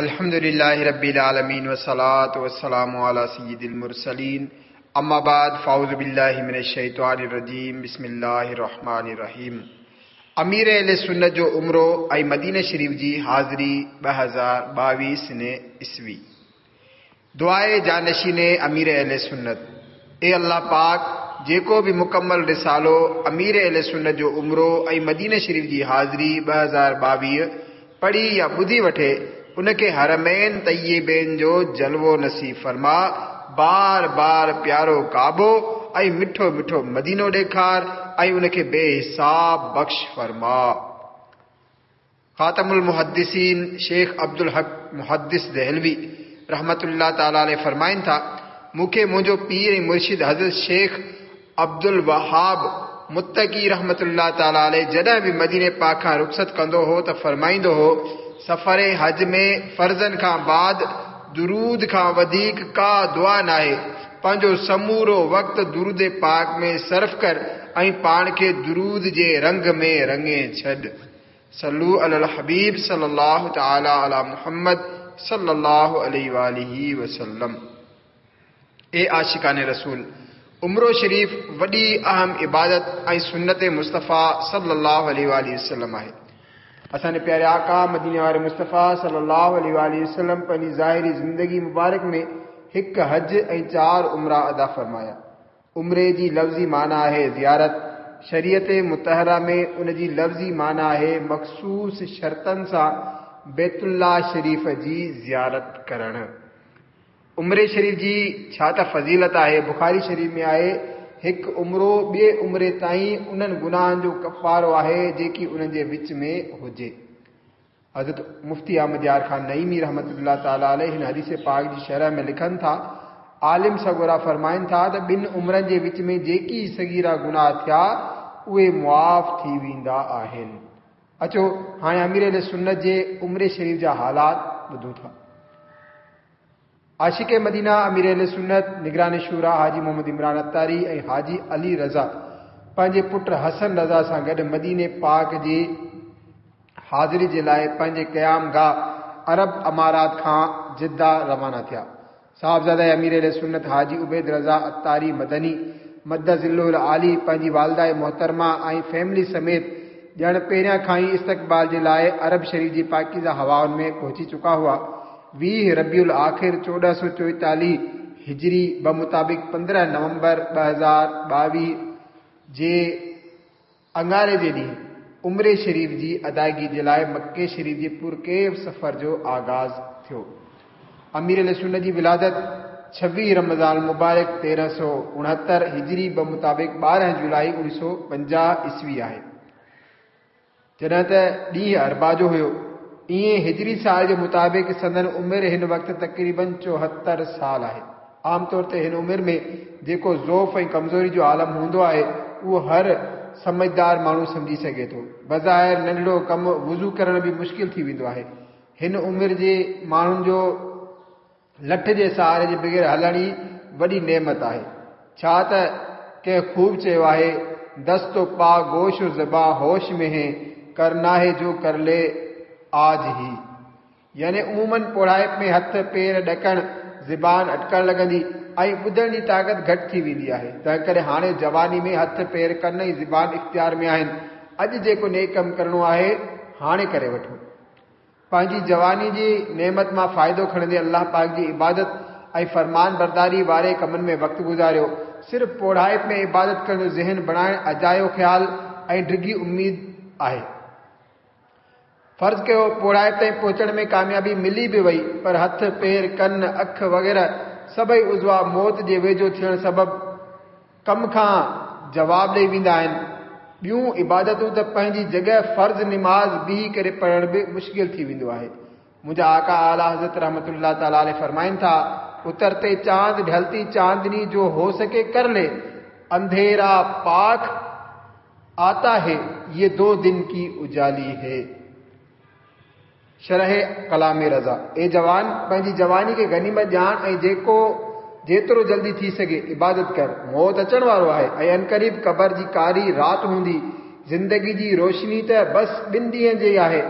الحمد لله رب العالمين والصلاة والسلام على سيد المرسلين اما بعد فاعوذ بالله من الشيطان الرجيم بسم الله الرحمن الرحيم امير اهل سنت جو عمرو ۽ مديني شريف جي حاضري 2022 سنه عيسوي. دعاء جانشين امير اهل سنت، اي الله پاڪ! جيڪو به مڪمل رسالو امير اهل سنت جو عمرو ۽ مديني شريف جي حاضري 2022 پڙهي يا ٻڌي وٺي، ان کي حرمين طيبين جو جلوو نصيب فرما، بار بار پيارو ڪعبو ۽ مٺو مٺو مدينو ڏيکار ۽ ان کي بي حساب بخش فرما. خاتم المحدثين شيخ عبدالحق محدث دهلوي رحمة الله تعالٰي عليه فرمائن ٿا، مون کي منهنجو پير ۽ مرشد حضرت شيخ عبدالوهاب متقي رحمة الله تعالٰي عليه جڏهن به مديني پاڪ کان رخصت ڪندو هو ته فرمائيندو هو، سفر حج ۾ فرضن کان بعد درود کان وڌيڪ ڪا دعا ناهي، پنهنجو سمورو وقت درود پاڪ ۾ صرف ڪر ۽ پاڻ کي درود جي رنگ ۾ رڱي ڇڏ. صلو علی الحبيب صلي الله تعالي علي محمد صلي الله عليه واله وسلم. اي عاشقان رسول! عمرو شريف وڏي اهم عبادت ۽ سنت مصطفيٰ صلي الله عليه واله وسلم آهي. اسان جي پياري آقا مديني واري مصطفيٰ صلي الله عليه واله وسلم پنهنجي ظاهري زندگي مبارڪ ۾ هڪ حج ۽ چار عمرا ادا فرمايا. عمري جي لفظي معنيٰ آهي زيارت. شريعت مطهره ۾ ان جي لفظي معنيٰ آهي مخصوص شرطن سان بيت الله شريف جي زيارت ڪرڻ. عمري شريف جي ڇا ته فضيلت آهي، بخاري شريف ۾ آهي، هڪ عمرو ٻئي عمري تائين انهن گناهن جو ڪفارو آهي جيڪي انهن جي وچ ۾ هجي. حضرت مفتي احمد يار خان نعيمي رحمة الله تعالٰي عليه هن حديث پاڪ جي شرح ۾ لکن ٿا، عالم سڳورا فرمائن ٿا ته ٻن عمرن جي وچ ۾ جيڪي صغيرا گناهه ٿيا اهي معاف ٿي ويندا آهن. اچو هاڻي امير اهل سنت جي عمري شريف جا حالات ٻڌون ٿا. عاشق مدينه امير اهل سنت نگران شوريٰ حاجي محمد عمران عطاري ۽ حاجي علي رضا پنهنجي پٽ حسن رضا سان گڏ مديني پاڪ جي حاضري جي لاء پنهنجي قيام گاهه عرب امارات کان جده روانا ٿيا. صاحبزاده امير اهل سنت حاجي عبيد رضا عطاري مدني مد ظله العالي پنهنجي والده محترمه ۽ فيملي سميت ڄڻ پهريان کان ئي استقبال جي لاء عرب شريف جي پاڪيزه هوائن ۾ پهچي چڪا هئا. 20 ربيع الاخر 1444 هجري بمطابق 15 نومبر 2022 جي اڱاري جي ڏينهن عمري شريف جي ادائگي جي لاء مڪي شريف جي پرڪيف سفر جو آغاز ٿيو. امير اهل سنت جي ولادت 26 رمضان المبارڪ 1369 هجري بمطابق 12 جولائي 1950 عيسوي آهي. جڏهن ته ڏينهن اربع جو هيو. ائين هجري سال جي مطابق سندن عمر هن وقت تقريباً 74 سال آهي. عام طور تي هن عمر ۾ جيڪو ضعف ۽ ڪمزوري جو عالم هوندو آهي، اهو هر سمجهدار ماڻهو سمجهي سگهي ٿو. بظاهر ننڍڙو ڪم وضو ڪرڻ به مشڪل ٿي ويندو آهي. هن عمر جي ماڻهن جو لٺ جي سهاري جي بغير هلڻ ئي وڏي نعمت آهي. ڇا ته ڪنهن خوب چيو آهي، دست و پا گوش و زبان هوش ۾ هين، ڪرنا هي جو ڪر لي آج هي. يعني عموماً پوڙهائپ ۾ هٿ، پير ڏڪڻ، زبان اٽڪڻ لڳندي ۽ ٻڌڻ جي طاقت گهٽ ٿي ويندي آهي. تنهنڪري هاڻي جواني ۾ هٿ، پير، ڪن ۽ زبان اختيار ۾ آهن. اڄ جيڪو نيڪ ڪم ڪرڻو آهي، هاڻي ڪري وٺو. پنهنجي جواني جي نعمت مان فائدو کڻندي الله پاڪ جي عبادت ۽ فرمان برداري واري ڪمن ۾ وقت گذاريو. صرف پوڙهائپ ۾ عبادت ڪرڻ جو ذهن بڻائڻ اجايو خيال ۽ ڊگهي اميد آهي. فرض ڪيو پوڙهائپ تائين پهچڻ ۾ ڪاميابي ملي به وئي پر هٿ، پير، ڪن، اک وغيره سڀئي عضوا موت جي ويجهو ٿيڻ سبب ڪم کان جواب ڏئي ويندا آهن. ٻيون عبادتون ته پنهنجي جڳهه فرض نماز بيهي ڪري پڙهڻ به مشڪل ٿي ويندو آهي. منهنجا آقا اعليٰ حضرت رحمة الله تعالٰي عليه فرمائن ٿا، اترتي چاند ڍلتي چاندني جو هو سڪي ڪر لي، انڌيرا پاک آتا هي، يه دو دن ڪي اجالي هي. شرح ڪلام رضا، اي جوان! پنهنجي جواني کي غنيمت ڄاڻ ۽ جيڪو جيترو جلدي ٿي سگهي عبادت ڪر. موت اچڻ وارو آهي ۽ عنقريب قبر جي ڪاري رات هوندي. زندگي جي روشني ته بس ٻن ڏينهن جي آهي.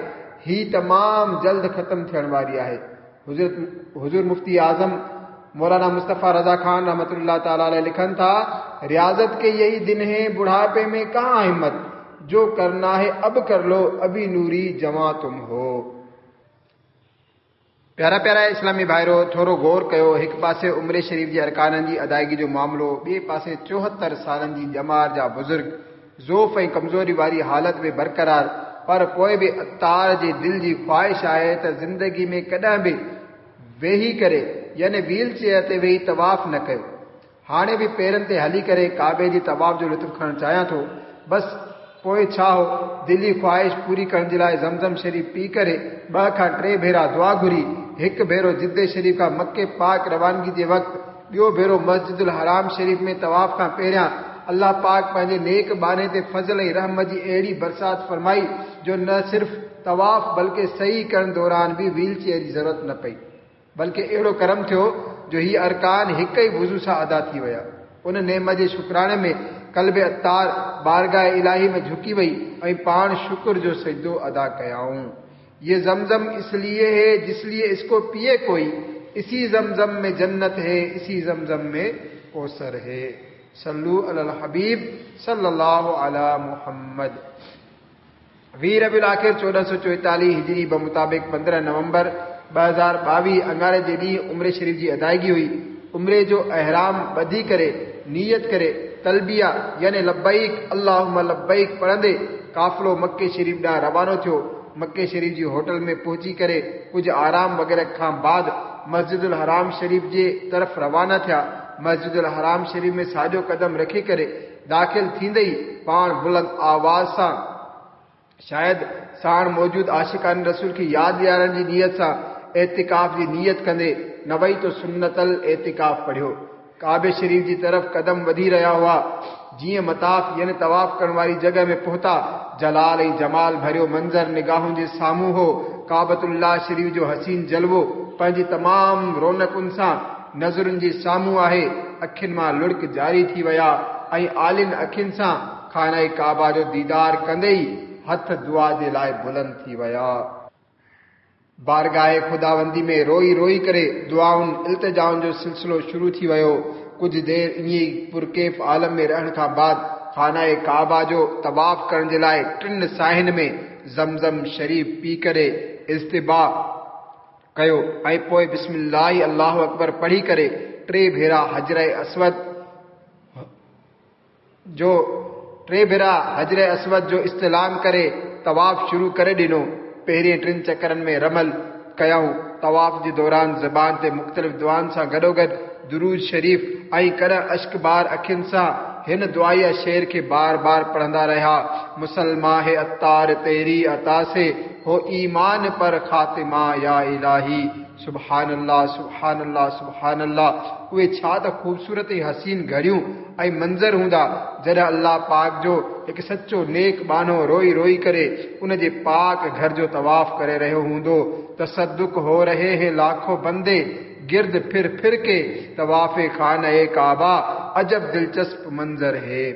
هي تمام جلد ختم ٿيڻ واري آهي. حضرت حضور مفتي اعظم مولانا مصطفيٰ رضا خان رحمة الله تعالٰي عليه لکن ٿا، رياضت ڪي يهي دن هين بڙهاپي ۾ ڪهان همت، جو ڪرنا هي اب ڪر لو ابي نوري جوان تم هو. پيارا پيارا اسلامي ڀائرو! ٿورو غور ڪيو، هڪ پاسي عمري شريف جي ارڪانن جي ادائگي جو معاملو، ٻئي پاسي 74 سالن جي ڄمار جا بزرگ ضعف ۽ ڪمزوري واري حالت ۾ برقرار، پر پوء به عطار جي دل جي خواهش آهي ته زندگي ۾ ڪڏهن به ويهي ڪري يعني ويل چيئر تي ويهي طواف نه ڪيو. هاڻي به پيرن تي هلي ڪري ڪعبي جي طواف جو لطف کڻڻ چاهيان ٿو. بس پوء ڇا هو، دلي خواهش پوري ڪرڻ جي لاء زمزم شريف پي ڪري ٻه کان ٽي ڀيرا دعا گهري. هڪ ڀيرو جدي شريف کان مڪي پاڪ روانگي جي وقت، ٻيو ڀيرو مسجد الحرام شريف ۾ طواف کان پهريان. الله پاڪ پنهنجي نيڪ ٻانهي تي فضل ۽ رحمت جي اهڙي برسات فرمائي جو نه صرف طواف بلڪه سعي ڪرڻ دوران به ويل چيئر جي ضرورت نه پئي. بلڪه اهڙو ڪرم ٿيو جو هي ارڪان هڪ ئي وضو سان ادا ٿي ويا. ان نعمت جي شڪراڻي ۾ قلب عطار بارگاهه الاهي ۾ جهڪي وئي ۽ پاڻ شڪر جو سجدو ادا ڪيائون. يه زمزم اس ليي هي جس ليي اس ڪو پيئي ڪوئي، اسي زمزم ۾ جنت هي اسي زمزم ۾ ڪوثر هي. صلو علي الحبيب صلي الله علي محمد. 20 ربيع الاخر 1444 هجري بمطابق 15 نومبر 2022 اڱاري جي ڏينهن عمري شريف جي ادائگي هئي. عمري جو احرام ٻڌي ڪري نيت ڪري تلبيه يعني لبيڪ اللهم لبيڪ پڙهندي قافلو مڪي شريف ڏانهن روانو ٿيو. مڪي شريف جي هوٽل ۾ پهچي ڪري ڪجهه آرام وغيره کان بعد مسجد الحرام شريف جي طرف روانا ٿيا. مسجد الحرام شريف ۾ ساڄو قدم رکي ڪري داخل ٿيندي ئي پاڻ بلند آواز سان شايد ساڻ موجود عاشقان رسول کي ياد ڏيارڻ جي نيت سان اعتڪاف جي نيت ڪندي نويت سنت الاعتڪاف پڙهيو. ڪعبي شريف جي طرف قدم وڌي رهيا هئا. جيئن مطاف يعني طواف ڪرڻ واري جڳهه ۾ پهتا، جلال ۽ جمال ڀريو منظر نگاهن جي سامهون هو. ڪعبة الله شريف جو حسين جلوو پنهنجي تمام رونقن سان نظرن جي سامهون آهي. اکين مان لڙڪ جاري ٿي ويا ۽ آلين اکين سان خانه ڪعبه جو ديدار ڪندي ئي هٿ دعا جي لاء بلند ٿي ويا. بارگاهه خداوندي ۾ روئي روئي ڪري دعائن التجائن جو سلسلو شروع ٿي ويو. ڪجهه دير ائين ئي پرڪيف عالم ۾ رهڻ کان بعد خانه ڪعبه جو طواف ڪرڻ جي لاء ٽن ساهين ۾ زمزم شريف پي ڪري اضطباع ڪيو ۽ پوء بسم الله الله اڪبر پڙهي ڪري ٽي ڀيرا حجر اسود جو ٽي ڀيرا حجر اسود جو استلام ڪري طواف شروع ڪري ڏنو. پهرين ٽن چڪرن ۾ رمل ڪيائون. طواف جي دوران زبان تي مختلف دعائن سان گڏوگڏ درود شريف ۽ ڪڏهن اشڪبار اکين سان هن دعائيه شعر کي بار بار پڙهندا رهيا، مسلمان هي عطار تيري عطا سي هو ايمان پر خاتمه يا الٰهي. سبحان الله سبحان الله سبحان الله اهي ڇا ته خوبصورت ۽ حسين گهڙيون ۽ منظر هوندا جڏهن الله پاڪ جو هڪ سچو نيڪ ٻانهو روئي روئي ڪري ان جي پاڪ گهر جو طواف ڪري رهيو هوندو تصدق هو رهي هي لاکو بندي گرد ڦر ڦر ڪي طواف خانه ڪعبه عجب دلچسپ منظر هي.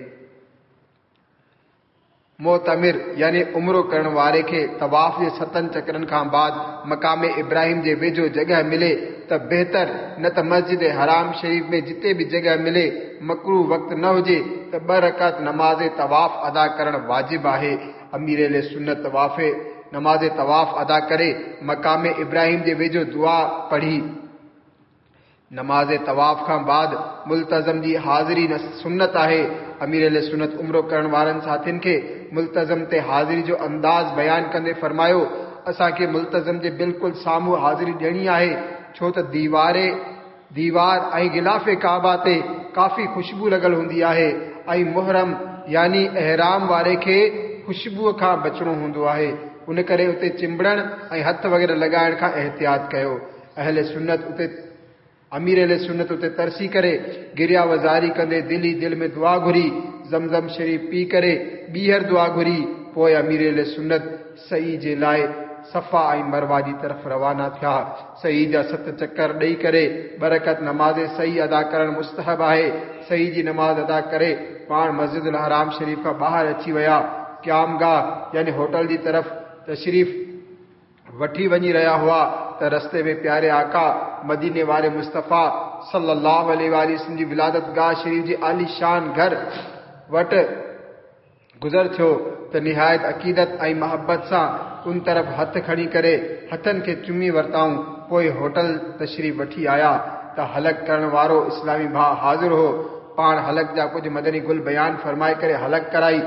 معتمر يعني عمرو ڪرڻ واري کي طواف جي ستن چڪرن کان بعد مقام ابراهيم جي ويجهو جڳهه ملي ته بهتر نه ته مسجد حرام شريف ۾ جتي به جڳهه ملي مڪروه وقت نه هجي ته ٻه رڪعت نماز طواف ادا ڪرڻ واجب آهي. امير اهل سنت طواف نماز طواف ادا ڪري مقام ابراهيم جي ويجهو دعا پڙهي. نماز طواف کان بعد ملتزم جي حاضري سنت آهي. امير اهل سنت عمرو ڪرڻ وارن ساٿين کي ملتزم تي حاضري جو انداز بيان ڪندي فرمايو، اسان کي ملتزم جي بلڪل سامهون حاضري ڏيڻي آهي، ڇو ته ديواري، ديوار ۽ غلاف ڪعبه تي ڪافي خوشبو لڳل هوندي آهي ۽ محرم يعني احرام واري کي خوشبوء کان بچڻو هوندو آهي، ان ڪري اتي چنبڙڻ ۽ هٿ وغيره لڳائڻ کان احتياط ڪيو. اهل سنت اتي امير اهل سنت اتي ترسي ڪري گريا و زاري ڪندي دل ئي دل ۾ دعا گهري، زمزم شريف پي ڪري ٻيهر دعا گهري، پوء امير اهل سنت سعي جي لاء صفا ۽ مروه جي طرف روانا ٿيا. سعي جا ست چڪر ڏئي ڪري ٻه رڪعت نماز سعي ادا ڪرڻ مستحب آهي. سعي جي نماز ادا ڪري پاڻ مسجد الحرام شريف کان ٻاهر اچي ويا. قيام گاهه يعني هوٽل جي طرف تشريف. وٺي وڃي رهيا هئا ته رستي ۾ پياري آقا، مديني واري مصطفيٰ صلّي اللّٰه عليه واٰله وسلّم جي ولادت گاهه شريف جي عاليشان گهر وٽ گذر ٿيو ته نهايت عقيدت ۽ محبت سان ان طرف هٿ کڻي ڪري هٿن کي چمي ورتائون پوء هوٽل تشريف وٺي آيا ته حلق ڪرڻ وارو اسلامي ڀاء حاضر هو پاڻ حلق جا ڪجهه مدني گل بيان فرمائي ڪري حلق ڪرائي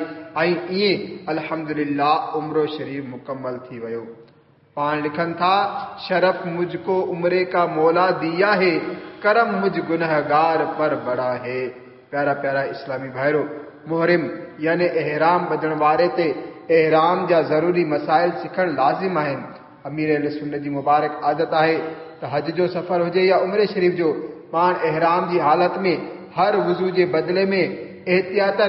۽ ائين الحمدلله عمرو شريف مڪمل ٿي ويو. پاڻ لکن ٿا، شرف مجھ ڪو عمري ڪا مولا ديا هي، ڪرم مجھ گنهگار پر بڙا هي. پيارا پيارا اسلامي ڀائرو! محرم يعني احرام ٻڌڻ واري تي احرام جا ضروري مسائل سکڻ لازم آهن. امير اهل سنت جي مبارڪ عادت آهي ته حج جو سفر هجي يا عمري شريف جو پاڻ احرام جي حالت ۾ هر وضو جي بدلي ۾ احتياطاً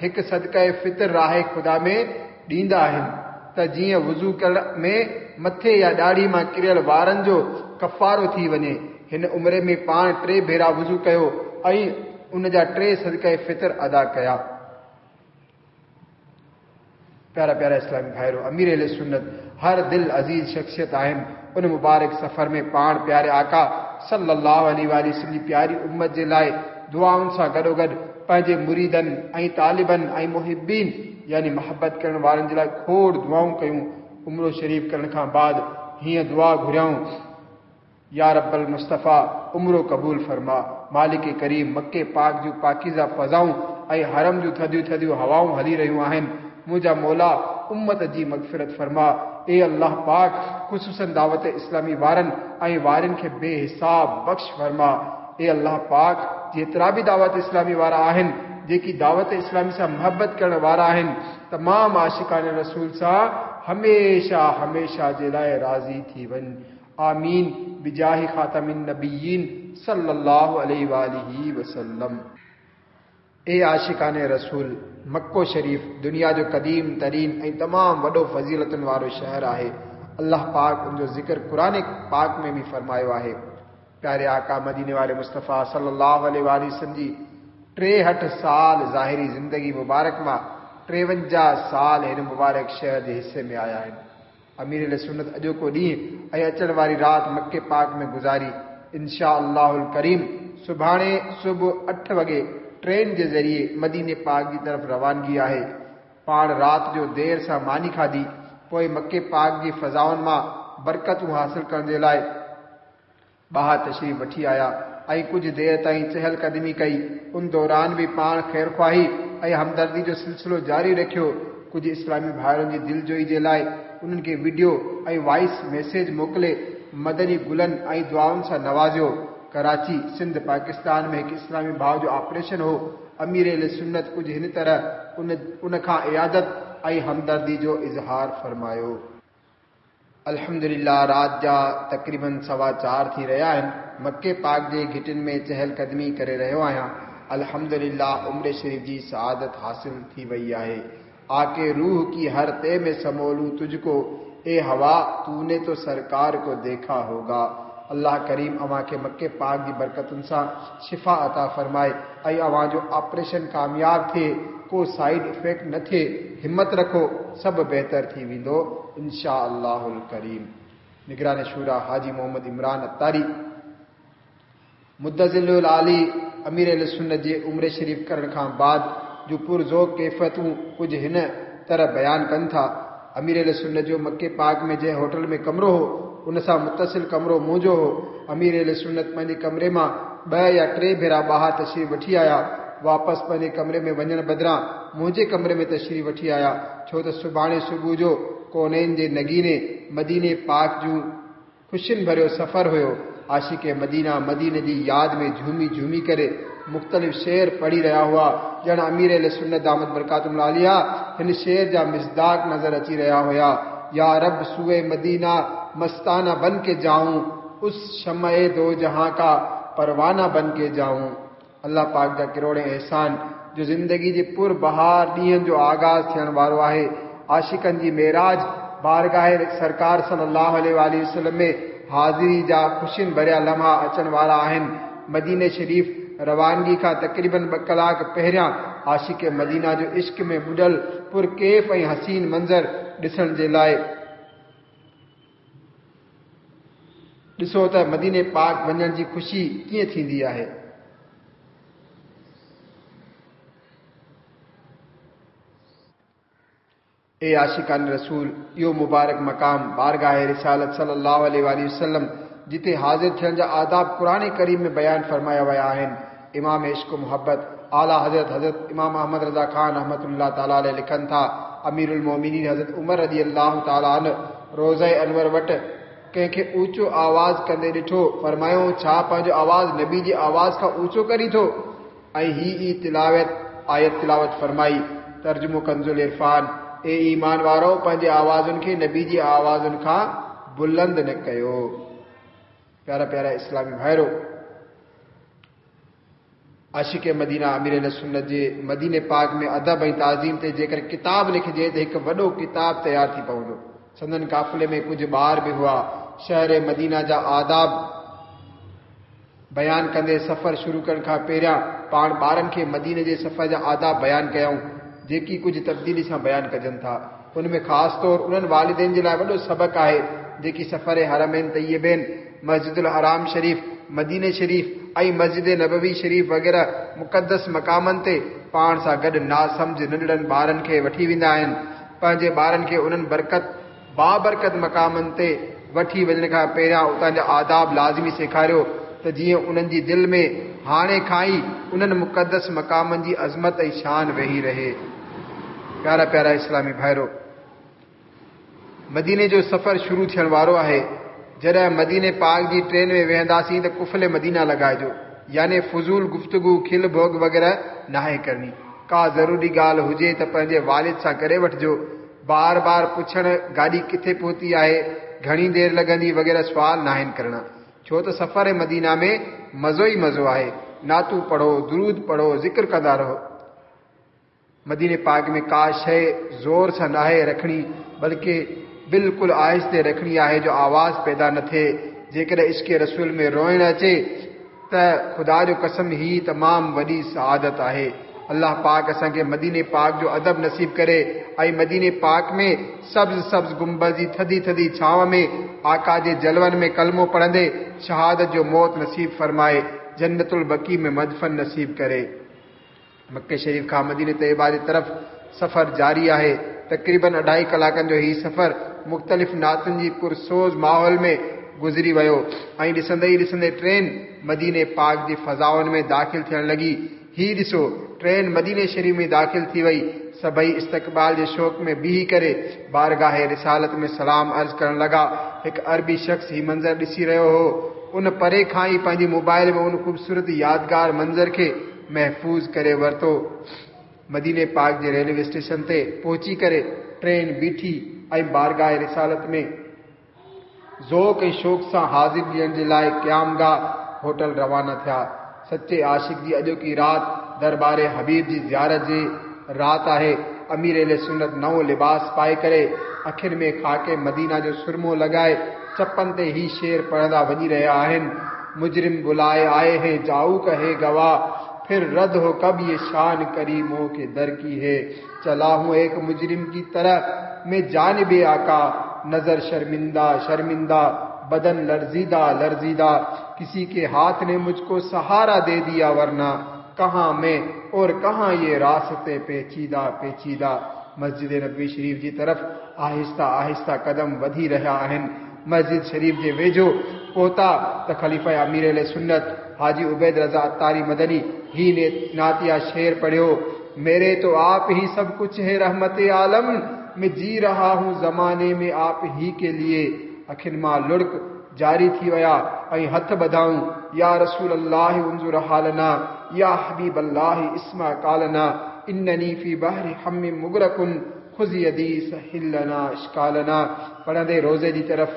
هڪ صدقه فطر راهه خدا ۾ ڏيندا آهن ته جيئن وضو ڪرڻ ۾ مٿي يا ڏاڙهي مان ڪريل وارن جو ڪفارو ٿي وڃي. هن عمري ۾ پاڻ ٽي ڀيرا وضو ڪيو ۽ ان جا ٽي صدقه فطر ادا ڪيا. پيارا پيارا اسلامي ڀائرو! امير اهل سنت هر دل عزيز شخصيت آهن، ان مبارڪ سفر ۾ پاڻ پياري آقا صلّي اللّٰه عليه واٰله وسلّم جي پياري امّت جي لاء دعائن سان گڏوگڏ پنهنجي مريدن ۽ طالبن ۽ محبين يعني محبت ڪرڻ وارن جي لاء کوڙ دعائون ڪيون، عمرو شريف ڪرڻ کان بعد هيئن دعا گهريائون. يا رب المصطفيٰ عمرو قبول فرما، مالڪ ڪريم مڪي پاڪ جون پاڪيزه فضائون ۽ حرم جون ٿڌيون ٿڌيون هوائون هلي رهيون آهن، منهنجا مولا امت جي مغفرت فرما، اي الله پاڪ خصوصا دعوت اسلامي وارن ۽ وارين کي بي حساب بخش فرما، اي الله پاڪ جيترا به دعوت اسلامي وارا آهن جيڪي دعوت اسلامي سان محبت ڪرڻ وارا آهن تمام عاشقان رسول سان هميشه هميشه جي لاء راضي ٿي وڃ. آمين بجاه خاتم النبيين صلي الله عليه واٰله وسلم. اي عاشقان رسول! مڪو شريف دنيا جو قديم ترين ۽ تمام وڏو فضيلتن وارو شهر آهي. الله پاڪ ان جو ذڪر قرآن پاڪ ۾ به فرمايو آهي. پياري آقا مديني واري مصطفيٰ صلي الله عليه واٰله وسلم جي 63 سال ظاهري زندگي مبارڪ مان 53 سال هن مبارڪ شهر جي حصي ۾ آيا آهن. امير اهل سنت اڄوڪو ڏينهن ۽ اچڻ واري رات مڪي پاڪ ۾ گذاري. انشاء الله الڪريم سڀاڻي صبح اٺ وڳي ٽرين جي ذريعي مديني پاڪ جي طرف روانگي آهي. پاڻ رات جو دير سان ماني کاڌي، پوء مڪي پاڪ جي فضائن مان برڪتون حاصل ڪرڻ جي لاء ٻاهر تشريف وٺي آيا ۽ ڪجهه دير تائين چهل قدمي ڪئي. ان دوران به پاڻ خيرخواهي ۽ همدردي جو سلسلو جاري رکيو. ڪجهه اسلامي ڀائرن جي دلجوئي جي لاء انهن کي وڊيو ۽ وائس ميسيج موڪلي مدني گلن ۽ دعائن سان نوازيو. ڪراچي، سنڌ، پاڪستان ۾ هڪ اسلامي ڀاء جو آپريشن هو. امير اهل سنت ڪجهه هن طرح ان ان کان عيادت ۽ همدردي جو اظهار فرمايو. الحمدلله رات جا تقريباً سوا چار ٿي رهيا آهن، مڪي پاڪ جي گهٽين ۾ چهل قدمي ڪري رهيو آهيان، الحمدلله عمري شريف جي سعادت حاصل ٿي وئي آهي. آڪي روح ڪي هر تي ۾ سمولون تجھ ڪو، اي هوا تو ني تو سرڪار ڪو ديکا هوگا. الله ڪريم اوهان کي مڪي پاڪ جي برڪتن سان شفا عطا فرمائي ۽ اوهان جو آپريشن ڪامياب ٿئي ڪو سائيڊ افيڪٽ نه ٿئي همت رکو سڀ بهتر ٿي ويندو انشاء الله الڪريم نگران شورا حاجي محمد عمران عطاري مدظله العالي امير اهل سنت جي عمري شريف ڪرڻ کان بعد جون پرذوق ڪيفيتون ڪجهه هن طرح بيان ڪن ٿا، امير اهل سنت جو مڪي پاڪ ۾ جنهن هوٽل ۾ ڪمرو هو، ان سان متصل ڪمرو منهنجو هو. امير اهل سنت پنهنجي ڪمري مان ٻه يا ٽي ڀيرا ٻاهر تشريف وٺي آيا. واپس پنهنجي ڪمري ۾ وڃڻ بدران منهنجي ڪمري ۾ تشريف وٺي آيا، ڇو ته سڀاڻي صبح جو ڪونين جي نگيني مديني پاڪ جون خوشين ڀريو سفر هيو. عاشق مدينه مديني جي ياد ۾ جهومي جهومي ڪري مختلف شعر پڙهي رهيا هئا، ڄڻ امير اهل سنت دامت برڪاتهم العاليه هن شعر جا مصداق نظر اچي رهيا هيا، يا رب سوء مدينه مستانه بن ڪي جائون، اس شمع دو جهان ڪا پروانه بن ڪي جائون. الله پاڪ جا ڪروڙين احسان جو زندگي جي پر بهار ڏينهن جو آغاز ٿيڻ وارو آهي. عاشقن جي معراج بارگاهه سرڪار صلي الله عليه واٰله وسلم ۾ حاضري جا خوشين ڀريا لمحا اچڻ وارا آهن. مديني شريف روانگي کان تقريبن ٻه ڪلاڪ پهريان عاشق مدينه جو عشق ۾ ٻڏل پر ڪيف ۽ حسين منظر ڏسڻ جي لاء. ڏسو ته مديني پاڪ وڃڻ جي خوشي ڪيئن ٿيندي آهي. اي عاشقان رسول! اهو مبارڪ مقام، بارگاھ رسالت صلّي اللّٰه عليه واٰله وسلّم، جتي حاضر ٿيڻ جا آداب قرآن ڪريم ۾ بيان فرمايا ويا آهن. امام عشق و محبت، اعليٰ حضرت حضرت امام احمد رضا خان رحمة الله تعالٰي عليه لکن ٿا، امير المؤمنين حضرت عمر رضي الله تعالٰي عنه روضه انور وٽ ڪنهن کي اوچو آواز ڪندي ڏٺو، فرمايائون، ڇا پنهنجو آواز نبي جي آواز کان اوچو ڪرين ٿو؟ ۽ هي ئي تلاوت، آيت تلاوت فرمائي، ترجمو ڪنزالعرفان، اي ايمان وارؤ! پنهنجي آوازن کي نبي جي آوازن کان بلند نه ڪيو. پيارا پيارا اسلامي ڀائرو! عاشق مدينه امير اهل سنت جي مديني پاڪ ۾ ادب ۽ تعظيم تي جيڪر ڪتاب لکجي ته هڪ وڏو ڪتاب تيار ٿي پوندو. سندن قافلي ۾ ڪجهه ٻار به هئا. شهر مدينه جا آداب بيان ڪندي سفر شروع ڪرڻ کان پهريان پاڻ ٻارن کي مديني جي سفر جا آداب بيان ڪيائون، جيڪي ڪجهه تبديلي سان بيان ڪجن ٿا. ان ۾ خاص طور انهن والدين جي لاء وڏو سبق آهي، جيڪي سفر حرمين طيبين، مسجد الحرام شريف، مديني شريف ۽ مسجد نبوي شريف وغيره مقدس مقامن تي پاڻ سان گڏ ناسمجهه ننڍڙن ٻارن کي وٺي ويندا آهن. پنهنجي ٻارن کي انهن برڪت بابرڪت مقامن تي وٺي وڃڻ کان پهريان اتان جا آداب لازمي سيکاريو ته جيئن انهن جي دل ۾ هاڻي کان ئي انهن مقدس مقامن جي عظمت ۽ شان ويهي رهي. پيارا پيارا اسلامي ڀائرو! مديني جو سفر شروع ٿيڻ وارو آهي. جڏهن مديني پاڪ جي ٽرين ۾ ويهنداسين ته قفل مدينه لڳائجو يعني فضول گفتگو، کل ڀوڳ وغيره ناهي ڪرڻي. ڪا ضروري ڳالهه هجي ته پنهنجي والد سان ڪري وٺجو. بار بار پڇڻ گاڏي ڪٿي پهتي آهي، گهڻي دير لڳندي وغيره سوال ناهن ڪرڻا. ڇو ته سفر مدينه ۾ مزو ئي مزو آهي. نعتون پڙهو، درود پڙهو، ذڪر ڪندا رهو. مديني پاڪ ۾ ڪا شيء زور سان ناهي رکڻي بلڪه بلڪل آهستي رکڻي آهي جو آواز پيدا نه ٿئي. جيڪڏهن عشق رسول ۾ روئڻ اچي ته خدا جو قسم هي تمام وڏي سعادت آهي. الله پاڪ اسان کي مديني پاڪ جو ادب نصيب ڪري ۽ مديني پاڪ ۾ سبز سبز گنبذ جي ٿڌي ٿڌي ڇانو ۾ آقا جي جلون ۾ ڪلمو پڙهندي شهادت جو موت نصيب فرمائي جنت البقيع ۾ مدفن نصيب ڪري. مڪي شريف کان مديني طيبه جي طرف سفر جاري آهي. تقريبن اڍائي ڪلاڪن جو هي سفر مختلف نعتن جي پرسوز ماحول ۾ گذري ويو ۽ ڏسندي ئي ڏسندي ٽرين مديني پاڪ جي فضائن ۾ داخل ٿيڻ لڳي. هي ڏسو ٽرين مديني شريف ۾ داخل ٿي وئي. سڀئي استقبال جي شوق ۾ بيهي ڪري بارگاهه رسالت ۾ سلام عرض ڪرڻ لڳا. هڪ عربي شخص هي منظر ڏسي رهيو هو. ان پري کان ئي پنهنجي موبائل ۾ ان خوبصورت يادگار منظر کي محفوظ ڪري ورتو. مديني پاڪ جي ريلوي اسٽيشن تي پهچي ڪري ٽرين بيٺي ۽ بارگاهه رسالت ۾ ذوق ۽ شوق سان حاضري ڏيڻ جي لاء قيام گاهه هوٽل روانا ٿيا. سچي عاشق جي اڄوڪي رات دربار حبيب جي زيارت جي رات آهي. امير اهل سنت نئون لباس پائي ڪري اکين ۾ خاڪ مدينه جو سرمو لڳائي چپن تي هي شعر پڙهندا وڃي رهيا آهن، مجرم بلائي آئي هين جائو ڪهي گواهه، ڦر رد هو ڪب يه شان ڪريمون ڪي در ڪي هي، چلا هون ايڪ مجرم ڪي طرح مين جانب آقا، نظر شرمنده شرمنده، بدن لرزيده لرزيده، ڪسي ڪي هاٿ ني مجھ ڪو سهارا the ديا ورنه ڪهان مين اور ڪهان يه راستي پيچيده پيچيده. مسجد نبوي شريف جي طرف آهسته آهسته قدم وڌي رهيا آهن. مسجد شريف جي ويجهو پهتا ته خليفه امير اهل سنت حاجي عبيد رضا عطاري مدني هي نعتيه شعر پڙهيو، ميري تو آپ هي سب ڪڇ هي رحمت عالم مين جي رها هون زماني ۾ آپ هي ڪي ليي اکين مان لڙڪ جاري ٿي ويا ۽ هٿ ٻڌائون، يا رسول الله انظر حالنا يا حبيب الله اسمع قالنا انني في بحر هم مغرق خذ يدي سهل لنا اشڪالنا پڙهندي روضي جي طرف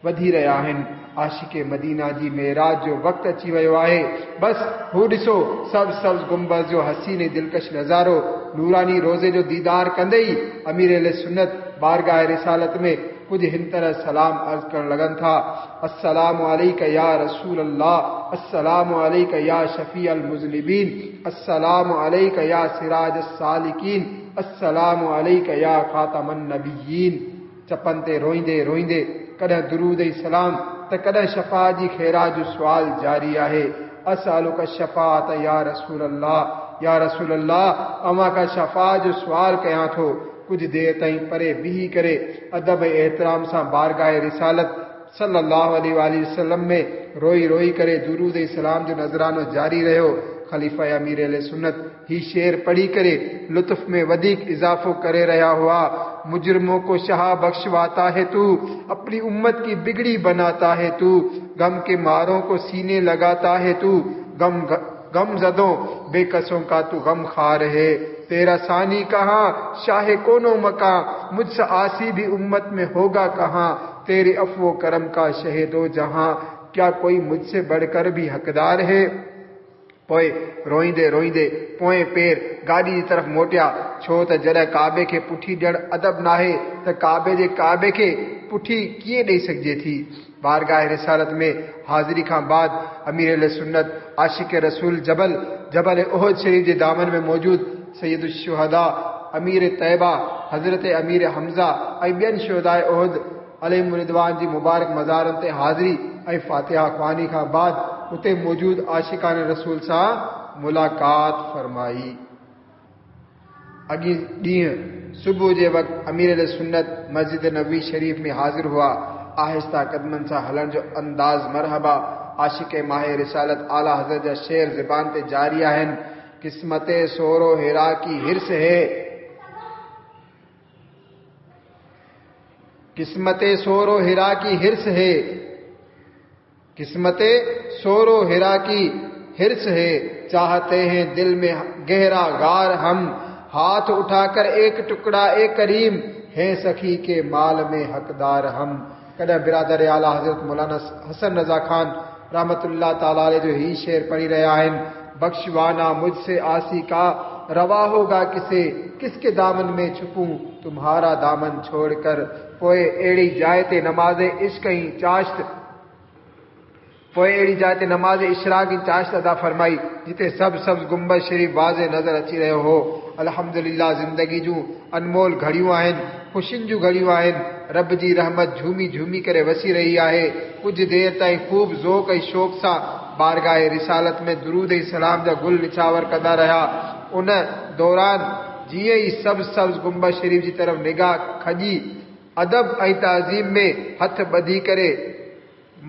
وڌي رهيا آهن. عاشق مدينه جي معراج جو وقت اچي ويو آهي. بس هو ڏسو سبز سبز گنبذ جو حسين ۽ دلڪش نظارو. نوراني روضي جو ديدار ڪندي ئي امير اهل سنت بارگاهه رسالت ۾ ڪجهه هن طرح سلام عرض ڪرڻ لڳن ٿا، السلام عليڪ يا رسول الله، السلام عليڪ يا شفيع المذنبين، السلام عليڪ يا سراج السالڪين، السلام عليڪ يا خاتم النبيين. چپن تي روئيندي روئيندي ڪڏهن درود ۽ سلام ته ڪڏهن شفاعت جي خيرات جو سوال جاري آهي. اسألک الشفاعة يا رسول الله، يا رسول الله! اوهان کان شفاعت جو سوال ڪيان ٿو. ڪجهه دير تائين پري بيهي ڪري ادب ۽ احترام سان بارگاهه رسالت صلّي اللّٰه عليه واٰله وسلّم ۾ روئي روئي ڪري درود ۽ سلام جو نذرانو جاري رهيو. خليفه امير اهل سنت هي شعر پڙهي ڪري لطف ۾ وڌيڪ اضافو ڪري رهيا هئا، مجرمون ڪو شاهه بخشواتا هي تو، اپني امت ڪي بگڙي بناتا هي تو، غم ڪي مارون ڪو سيني لگاتا هي تو، غم غم زدون بي ڪسون ڪا تو غم خوار هي، تيرا ثاني ڪهان شاهه ڪون و مڪان، مجھ سا عاصي ڀي امت ۾ هوگا ڪهان، تيري عفو و ڪرم ڪا شهه دو جهان، ڪيا ڪوئي مجھ سي بڙھ ڪر ڀي حقدار هي. پوء روئيندي روئيندي پوئين پير گاڏي جي طرف موٽيا، ڇو ته جڏهن ڪعبي کي پٺي ڏيڻ ادب ناهي ته ڪعبي جي ڪعبي کي پٺي ڪيئن ڏئي سگهجي ٿي؟ بارگاهه رسالت ۾ حاضري کان بعد امير اهل سنت عاشق رسول جبل جبل احد شريف جي دامن ۾ موجود سيد الشهداء امير طيبه حضرت امير حمزه ۽ ٻين شهداء احد عليهم الرضوان جي مبارڪ مزارن تي حاضري ۽ فاتحه خواني کان بعد اتي موجود عاشقان رسول سان ملاقات فرمائي. اڳئين ڏينهن صبح جي وقت امير اهل سنت مسجد نبوي شريف ۾ حاضر هئا. آهسته قدمن سان هلڻ جو انداز مرحبا عاشق ماه رسالت اعليٰ حضرت جا شعر زبان تي جاري آهن، قسمت سور و حرا ڪي حرص هي. قسمت سور و حرا ڪي حرص هي قسمت سور و حرا ڪي حرص هي چاهتي هين دل ۾ گهرا غار هم هاٿ اٺا ڪر ايڪ ٽڪڙا اي ڪريم هين سخي ڪي مال ۾ حقدار هم ڪڏهن برادر اعليٰ حضرت مولانا حسن رضا خان رحمة الله تعالٰي عليه جو هي شعر پڙهي رهيا آهن، بخشوانا مجھ سي عاصي ڪا روا هوگا ڪسي، ڪس ڪي دامن ۾ ڇپون تمهارا دامن ڇوڙ ڪر پوء اهڙي جاء تي نماز عشق ۽ چاشت پوء اهڙي جاء تي نماز اشراق ۽ چاشت ادا فرمائي جتي سبز سبز گنبذ شريف واضح نظر اچي رهيو هو. الحمدلله زندگي جون انمول گهڙيون آهن، خوشين جون گهڙيون آهن، رب جي رحمت جهومي جهومي ڪري وسي رهي آهي، ڪجهه دير تائين خوب ذوق ۽ شوق سان بارگاهه رسالت ۾ درود ۽ سلام جا گل نڇاور ڪندا رهيا، ان دوران جيئن ئي سبز سبز گنبذ شريف جي طرف نگاهه کڄي ادب ۽ تعظيم ۾ هٿ ٻڌي ڪري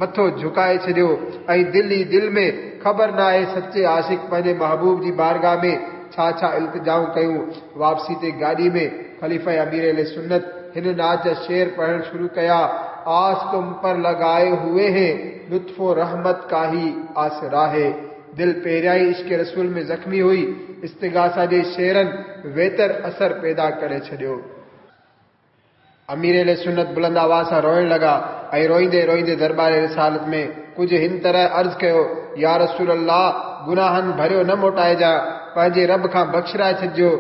مٿو جهڪائي ڇڏيو ۽ دل ئي دل ۾ خبر ناهي سچي عاشق پنهنجي محبوب جي بارگاهه ۾ ڇا ڇا التجائون ڪيون. واپسي تي گاڏي ۾ خليفه امير اهل سنت هن نعت جا شعر پڙهڻ شروع ڪيا، آس تم پر لگائي هوئي هين لطف و رحمت ڪا هي آسرا هي. دل پهريان ئي عشق رسول ۾ زخمي هئي، استغاثه جي شعرن ويتر اثر پيدا ڪري ڇڏيو. امير اهل سنت بلند آواز سان روئڻ لڳا ۽ روئيندي روئيندي درٻار رسالت ۾ ڪجهه هن طرح عرض ڪيو، يا رسول الله! گناهن ڀريو نه موٽائجان، پنهنجي رب کان بخشرائي ڇڏجو،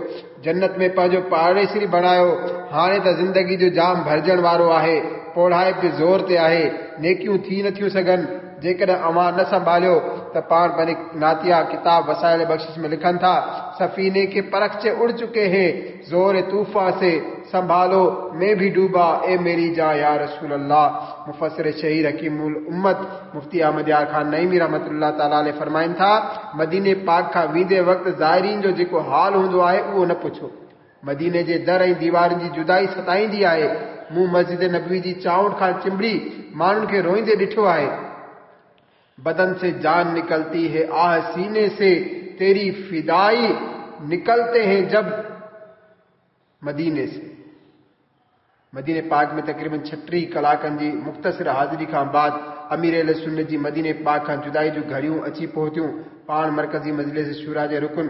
جنت ۾ پنهنجو پاڙيسري بڻايو، هاڻي ته زندگي جو جام ڀرجڻ وارو آهي، پوڙهائپ به زور تي آهي، نيڪيون ٿي نٿيون سگهن، جيڪڏهن اوهان نه سنڀاليو ته پاڻ پنهنجي نعتيه ڪتاب وسائل بخشش ۾ لکن ٿا، سفيني ڪي پرخچي اڙ چڪي هين، زور طوفان سي سنڀالو مين ڀي ڊوبا اي ميري جان يا رسول الله مفسر شهير حڪيم الامت مفتي احمد يار خان نعيمي رحمة الله تعالٰي عليه فرمائن ٿا، مديني پاڪ کان ويندي وقت زائرين جو جيڪو حال هوندو آهي اهو نه پڇو. مديني جي در ۽ ديوارن جي جدائي ستائيندي آهي. مون مسجد نبوي جي چانئٺ کان چنبڙي ماڻهن کي روئيندي ڏٺو آهي. بدن سي جان نڪلتي هي آه سيني سي تيري فدائي نڪلتي هين جب مديني سي. مديني پاڪ ۾ تقريبن 36 ڪلاڪن جي مختصر حاضري کان بعد امير اهل سنت جي مديني پاڪ کان جدائي جون گهڙيون اچي پهتيون. پاڻ مرڪزي مجلس شوريٰ جي رڪن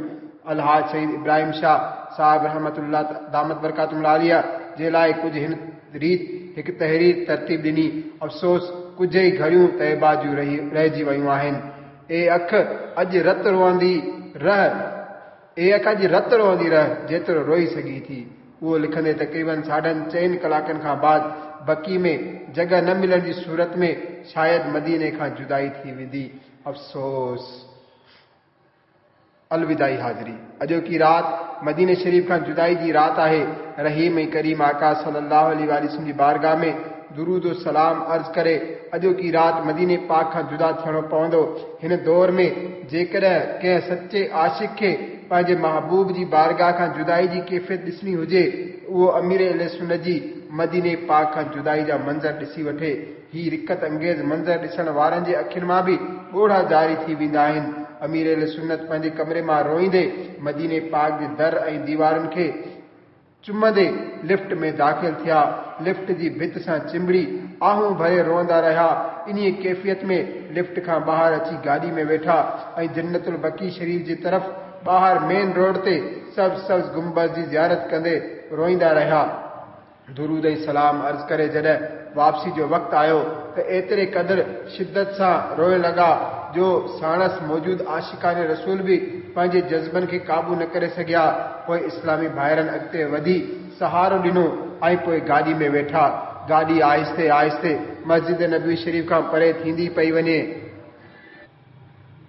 الحاج سيد ابراهيم شاهه صاحب رحمة الله دامت برڪاتهم العاليه جي لاء ڪجهه هن ريت هڪ تحرير ترتيب ڏني، افسوس ڪجهه ئي گهڙيون طيبه جون رهجي ويون آهن. اي اک اڄ رت روئندي رهه. اي اک اڄ رت روئندي رهه جيترو روئي سگهين ٿي. اهو لکندي تقريبن ساڍن چئن ڪلاڪن کان بعد بقيع ۾ جڳهه نه ملڻ جي صورت ۾ شايد مديني کان جدائي ٿي ويندي. افسوس! الوداعي حاضري اڄوڪي رات مديني شريف کان جدائي جي رات آهي. رحيم ۽ ڪريم آقا صلي الله عليه واٰله وسلم جي بارگاهه ۾ درود و سلام عرض ڪري اڄوڪي رات مديني پاڪ کان جدا ٿيڻو پوندو. هن دور ۾ جيڪڏهن ڪنهن سچي عاشق کي پنهنجي محبوب جي بارگاهه کان جدائي جي ڪيفيت ڏسڻي هجي ته اهو امير اهل سنت جي مديني پاڪ کان جدائي جا منظر ڏسي وٺي. هي رقت انگيز منظر ڏسڻ وارن جي اکين مان به ڳوڙها جاري ٿي ويندا آهن. امير اهل سنت پنهنجي ڪمري مان روئيندي مديني پاڪ جي در ۽ ديوارن کي چمندي لفٽ ۾ داخل ٿيا. لفٽ جي ڀت سان چنبڙي آهون ڀري روئندا رهيا. انهيء ڪيفيت ۾ لفٽ کان ٻاهر اچي گاڏي ۾ ويٺا ۽ جنت البقيع شريف جي طرف ٻاهر مين روڊ تي سبز سبز گنبذ جي زيارت ڪندي روئيندا رهيا. درود ۽ سلام عرض ڪري جڏهن واپسي جو وقت آيو ته ايتري قدر شدت سان روئڻ لڳا جو ساڻس موجود عاشقان رسول به پنهنجي جذبن کي قابو نه ڪري سگهيا. پوء اسلامي ڀائرن اڳتي وڌي سهارو ڏنو ۽ پوء گاڏي ۾ ويٺا. گاڏي آهستي آهستي مسجد نبوي شريف کان پري ٿيندي پئي وڃي.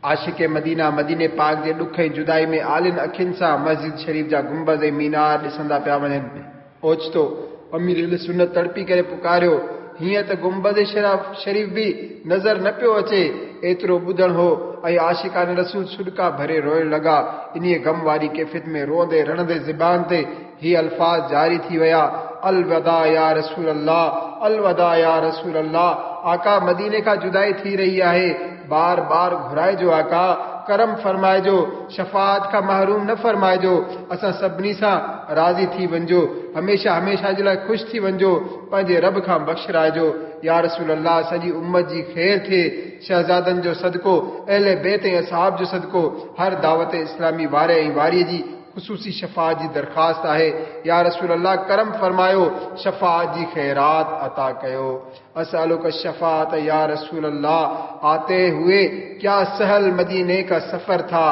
عاشق مدينه مديني پاڪ جي ڏک ۽ جدائي ۾ آلين اکين سان مسجد شريف جا گنبذ ۽ مينار ڏسندا پيا وڃن. اوچتو امير اهل سنت تڙپي ڪري پڪاريو، هينئر ته گنبذ شريف به نظر نه پيو اچي. ايترو ٻڌڻ هو ۽ عاشقان رسول سڏڪا ڀري روئڻ لڳا. انهيء غم واري ڪيفيت ۾ روئندي رڙندي زبان تي هي الفاظ جاري ٿي ويا، الوداع يا رسول الله، الوداع يا رسول الله، آقا مديني کان جدائي ٿي رهي آهي، بار بار گهرائجو آقا، ڪرم فرمائجو، شفاعت کان محروم نه فرمائجو، اسان سڀني سان راضي ٿي وڃجو، هميشه هميشه جي لاء خوش ٿي وڃجو، پنهنجي رب کان بخشرائجو، يا رسول الله سڄي امت جي خير ٿئي، شهزادن جو صدقو، اهل بيت ۽ اصحاب جو صدقو، هر دعوت اسلامي واري ۽ واريء جي خصوصي شفاعت جي درخواست آهي، يا رسول الله ڪرم فرمايو شفاعت جي خيرات عطا ڪيو. اسألک الشفاعت يا رسول الله آتي هئي ڪيا سهل مديني کا سفر ٿا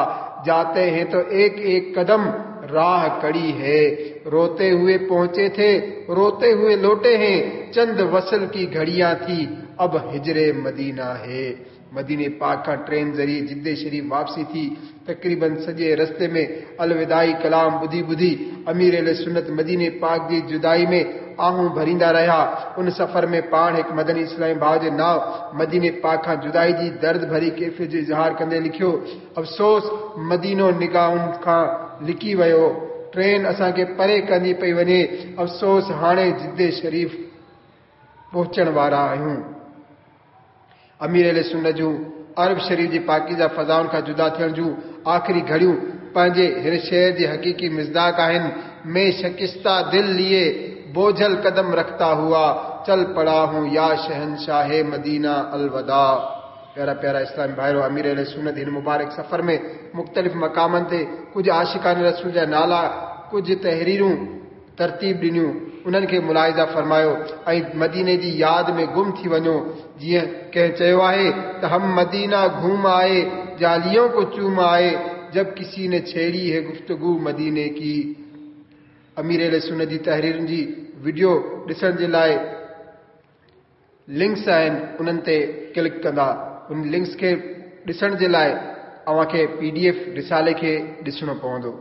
جاتي هين تو ايڪ ايڪ قدم راهه ڪڙي هي روتي هئي پهچي ٿي روتي هئي لوٽي هين چند وصل ڪي گهڙيان ٿي اب هجر مدينه هي. مديني پاڪ کان ٽرين ذريعي جدي شريف واپسي ٿي. تقريباً سڄي رستي ۾ الوداعي ڪلام ٻڌي ٻڌي امير اهل سنت مديني پاڪ جي جدائي ۾ آهون ڀريندا رهيا. ان سفر ۾ پاڻ هڪ مدني اسلامي ڀاء جي نانء مديني پاڪ کان جدائي جي درد ڀري ڪيفيت جو اظهار ڪندي لکيو، افسوس مدينو نگاهن کان لڪي ويو. ٽرين اسان کي پري ڪندي پئي وڃي. افسوس هاڻي جدي شريف پهچڻ وارا آهيون. امير اهل سنت جون عرب شريف جي پاڪيزه فضائن کان جدا ٿيڻ جون آخري گهڙيون پنهنجي هن شعر جي حقيقي مصداق آهن، مين شڪسته دل ليئي بوجهل قدم رکتا هوا چل پڙا هون يا شهنشاه مدينه الوداع. پيارا پيارا اسلامي ڀائرو! امير اهل سنت هن مبارڪ سفر ۾ مختلف مقامن تي ڪجهه عاشقان رسول جا نالا ڪجهه تحريرون ترتيب ڏنيون، انهن کي ملاحظه فرمايو ۽ مديني جي ياد ۾ گم ٿي وڃو، جيئن ڪنهن چيو آهي ته هم مدينه گهوم آئي، جاليون ڪو چوم آئي، جب ڪسي ني ڇيڙي هي گفتگو مديني ڪي. امير اهل سنت جي تحريرن جي وڊيو ڏسڻ جي لاء لنڪس آهن انهن تي ڪلڪ ڪندا ان لنڪس کي ڏسڻ جي لاء اوهان کي پي ڊي ايف رسالي کي ڏسڻو پوندو.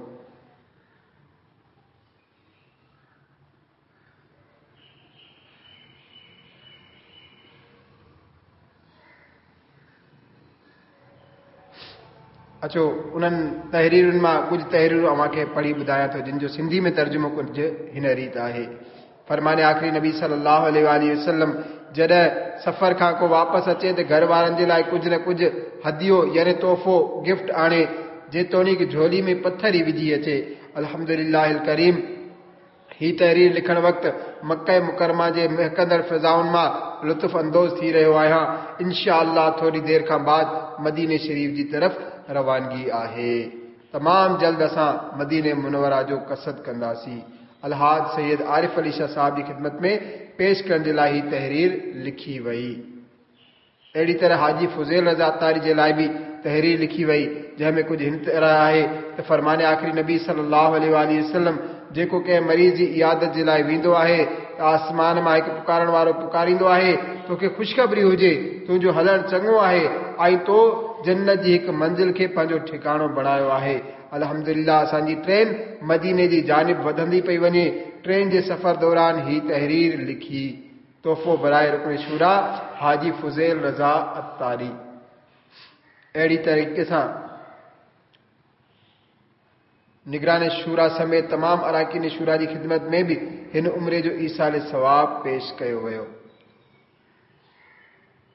اچو انهن تحريرن مان ڪجهه تحريرون اوهان کي پڙهي ٻڌايان ٿو جن جو سنڌي ۾ ترجمو ڪجهه هن ريت آهي. فرمان آخري نبي صلي الله عليه واٰله وسلم جڏهن سفر کان ڪو واپس اچي ته گهر وارن جي لاء ڪجهه نه ڪجهه هديو يعني تحفو، گفٽ، آڻي جيتوڻيڪ جهولي ۾ پٿر ئي وجهي اچي. الحمدلله الڪريم هي تحرير لکڻ وقت مڪه مڪرمه جي مهڪندڙ فضائن مان لطف اندوز ٿي رهيو آهيان. انشاء الله ٿوري دير کان بعد مديني شريف جي طرف روانگي آهي. تمام جلد اسان مديني منوره جو قصد ڪنداسين. الحاج سيد عارف علي شاهه صاحب جي خدمت ۾ پيش ڪرڻ جي لاء هي تحرير لکي وئي. اهڙي طرح حاجي فضيل رضا عطاري جي لاء به تحرير لکي وئي، جنهن ۾ ڪجهه هن طرح آهي ته فرمان آخري نبي صلي الله عليه واٰله وسلم جيڪو ڪنهن مريض جي عيادت جي لاء ويندو آهي ته آسمان مان هڪ پڪارڻ وارو پڪاريندو آهي، توکي خوشخبري هجي، تنهنجو هلڻ چڱو آهي ۽ تو جنت جي هڪ منزل کي پنهنجو ٺڪاڻو بڻايو آهي. الحمدلله اسان جي ٽرين مديني جي جانب وڌندي پئي وڃي. ٽرين جي سفر دوران هي تحرير لکي. تحفو براءِ رڪن شوريٰ حاجي فضيل رضا عطاري. اهڙي طريقي سان نگران شوريٰ سميت تمام اراڪين شوريٰ جي خدمت ۾ به هن عمري جو ايصال ثواب پيش ڪيو ويو.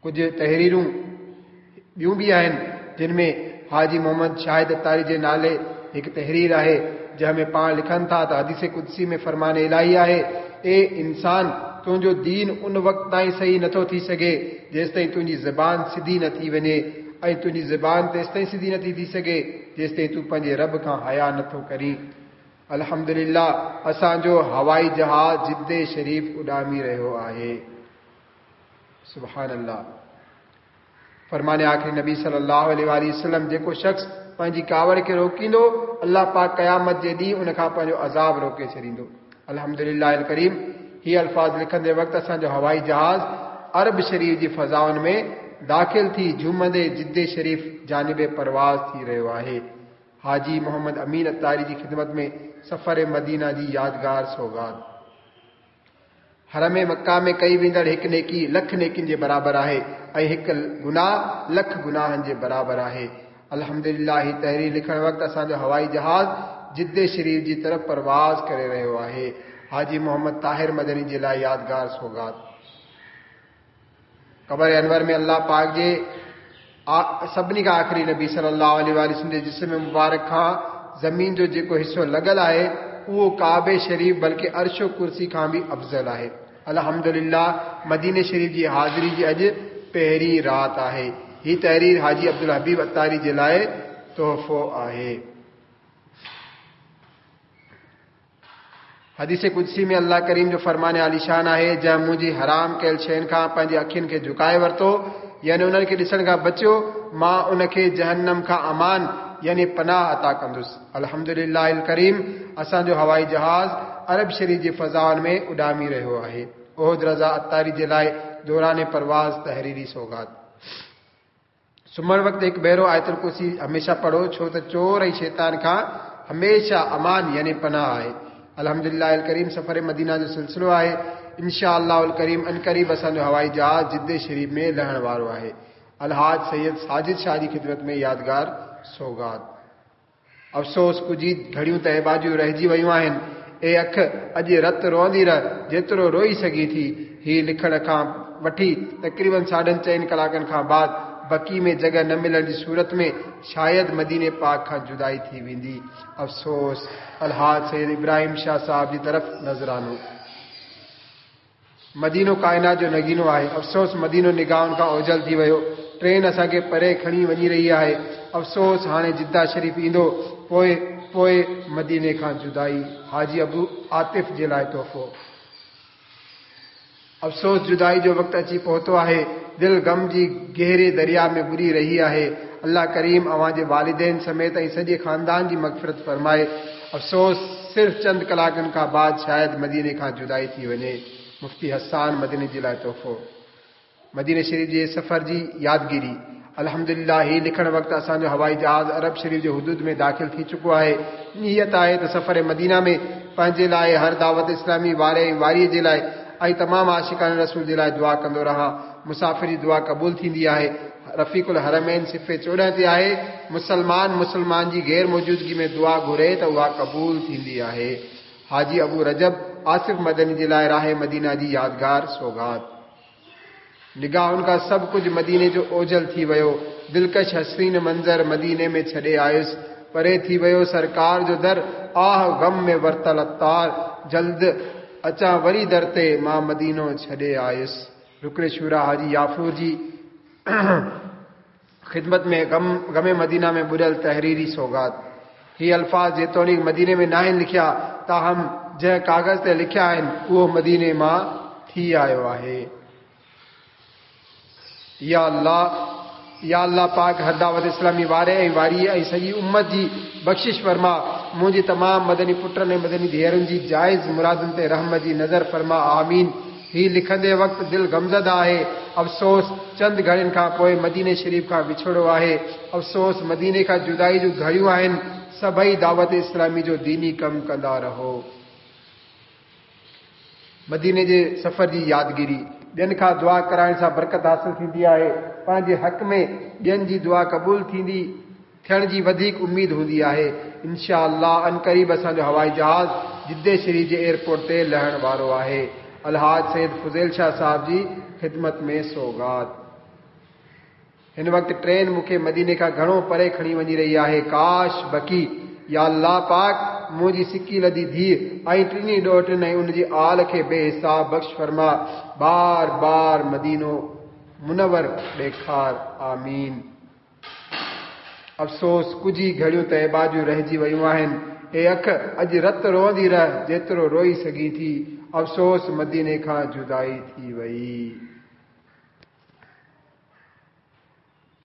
ڪجهه تحريرون ٻيون به آهن جن ۾ حاجي محمد شاهد عطاري جي نالي هڪ تحرير آهي جنهن ۾ پاڻ لکن ٿا ته حديث قدسي ۾ فرمان الاهي آهي اي انسان تنهنجو دين ان وقت تائين صحيح نٿو ٿي سگهي جيستائين تنهنجي زبان سڌي نه ٿي وڃي ۽ تنهنجي زبان تيستائين سڌي نٿي ٿي سگهي جيستائين تون پنهنجي رب کان حيا نٿو ڪرين. الحمدلله اسان جو هوائي جهاز جدي شريف اڏامي رهيو آهي. سبحان الله فرمان آخري نبي صلي الله عليه واٰله وسلم جيڪو شخص پنهنجي ڪاوڙ کي روڪيندو الله پاڪ قيامت جي ڏينهن ان کان پنهنجو عذاب روڪي ڇڏيندو. الحمدلله الڪريم هي الفاظ لکندي وقت اسان جو هوائي جهاز عرب شريف جي فضائن ۾ داخل ٿي جهومندي جدي شريف جانب پرواز ٿي رهيو آهي. حاجي محمد امين عطاري جي خدمت ۾ سفر مدينه جي يادگار سوغات. حرم مڪه ۾ ڪئي ويندڙ هڪ نيڪي لک نيڪين جي برابر آهي ۽ هڪ گناهه لک گناهن جي برابر آهي. الحمدلله هي تحرير لکڻ وقت اسان جو هوائي جهاز جدي شريف جي طرف پرواز ڪري رهيو آهي. حاجي محمد طاهر مدني جي لاء يادگار سوغات. قبر انور ۾ الله پاڪ جي سڀني کان آخري نبي صلي الله عليه واٰله وسلم جي جسم مبارڪ کان زمين جو جيڪو حصو لڳل آهي اهو ڪعبي شريف بلڪه عرش و ڪرسي کان به افضل آهي. الحمدلله مديني شريف جي حاضري جي اڄ پهرين رات آهي. هي تحرير حاجي عبدالحبيب عطاري جي لاء تحفو آهي. حديث قدسي ۾ الله ڪريم جو فرمان عاليشان آهي، جنهن منهنجي حرام ڪيل شين کان پنهنجي اکين کي جهڪائي ورتو، يعني انهن کي ڏسڻ کان بچيو، مان ان کي جهنم کان امان يعني پناهه عطا ڪندس. الحمدلله الڪريم اسان جو هوائي جهاز عرب شريف جي فضائن ۾ اڏامي رهيو آهي. احد رضا عطاري جي لاء دوران پرواز تحريري سوغات. سمهڻ وقت هڪ ڀيرو آيت الڪرسي هميشه پڙهو ڇو ته چور ۽ شيطان کان هميشه امان يعني پناهه آهي. الحمدلله الڪريم سفر مدينه جو سلسلو آهي. ان شاء الله الڪريم عنقريب اسان جو هوائي جهاز جدي شريف ۾ لهڻ وارو آهي. الحاج سيد ساجد شاهه جي خدمت ۾ يادگار سوغات. افسوس ڪجهه ئي گهڙيون ته ايٻاجهيون رهجي ويون آهن. اي اک! اڄ رت روئندي رهه، جيترو روئي سگهين ٿي. هي لکڻ کان وٺي تقريباً ساڍن چئن ڪلاڪن کان بعد بقيع ۾ جڳهه نه ملڻ جي صورت ۾ شايد مديني پاڪ کان جدائي ٿي ويندي. افسوس! الحاج سيد ابراهيم شاهه صاحب جي طرف نذرانو. مدينو ڪائنات جو نگينو آهي. افسوس مدينو نگاهن کان اوجهل ٿي ويو. ٽرين اسان کي پري کڻي وڃي رهي آهي. افسوس هاڻي جده شريف ايندو پوء پوء مديني کان جدائي. حاجي ابو عاطف جي لاء تحفو. افسوس جدائي جو وقت اچي پهتو آهي. دل غم جي گهري درياء ۾ ٻڏي رهي آهي. الله ڪريم اوهان جي والدين سميت ۽ سڄي خاندان جي مغفرت فرمائي. افسوس صرف چند ڪلاڪن کان بعد شايد مديني کان جدائي ٿي وڃي. مفتي حسان مدني جي لاء تحفو. مديني شريف جي سفر جي يادگيري. الحمدلله هي لکڻ وقت اسان جو هوائي جهاز عرب شريف جي حدود ۾ داخل ٿي چڪو آهي. نيت آهي ته سفر مدينه ۾ پنهنجي لاء هر دعوت اسلامي واري ۽ واريء جي لاء ۽ تمام عاشقان رسول جي لاء دعا ڪندو رهان. مسافر جي دعا قبول ٿيندي آهي. رفيق الحرمين صفحي 14 تي آهي، مسلمان مسلمان جي غير موجودگي ۾ دعا گهري ته اها قبول ٿيندي آهي. حاجي ابو رجب آصف مدني جي لاء راهه مدينه جي يادگار سوغات. نگاهن کان سڀ ڪجهه مديني جو اوجهل ٿي ويو. دلڪش حسين منظر مديني ۾ ڇڏي آيس. پري ٿي ويو سرڪار جو در، آه غم ۾ ورتل عطار، جلد اچان وري در تي، مان مدينو ڇڏي آيس. رڪن شوريٰ حاجي يعفور جي خدمت ۾ غم غم مدينه ۾ ٻڏل تحريري سوغات. هي الفاظ جيتوڻيڪ مديني ۾ ناهن لکيا، تاهم جنهن ڪاغذ تي لکيا آهن، اهو مديني مان ٿي آيو آهي. يا الله يا الله پاڪ هر دعوت اسلامي واري ۽ واريء ۽ سڄي امت جي بخشش فرما. منهنجي تمام مدني پٽن ۽ مدني ڌيئرن جي جائز مرادن تي رحم جي نظر فرما. آمين. هي لکندي وقت دل غمزده آهي. افسوس! چند گهڙين کان پوء مديني شريف کان وڇوڙو آهي. افسوس! مديني کان جدائي جون گهڙيون آهن. سڀئي دعوت اسلامي جو ديني ڪم ڪندا رهو. مديني جي سفر جي يادگيري. ٻين کان دعا ڪرائڻ سان برڪت حاصل ٿيندي آهي. پنهنجي حق ۾ ٻين جي دعا قبول ٿيندي ٿيڻ جي وڌيڪ اميد هوندي آهي. انشاء الله عنقريب اسان جو هوائي جهاز جدي شريف جي ايئرپورٽ تي لهڻ وارو آهي. الحاج سيد فضيل شاهه صاحب جي خدمت ۾ سوغات. هن وقت ٽرين مون کي مديني کان گهڻو پري کڻي وڃي رهي آهي. ڪاش! بقي، يا الله پاڪ! منهنجي سڪيلڌي ڌيء ۽ ٽنهي ڏوهٽن ۽ ان جي آل کي بي حساب بخش فرما. بار بار مدينو منور ڏيکار. آمين. افسوس! ڪجهه ئي گهڙيون طيبه جون رهجي ويون آهن. اي اک! اڄ رت روئندي رهه، جيترو روئي سگهين ٿي. افسوس! مديني کان جدائي ٿي وئي.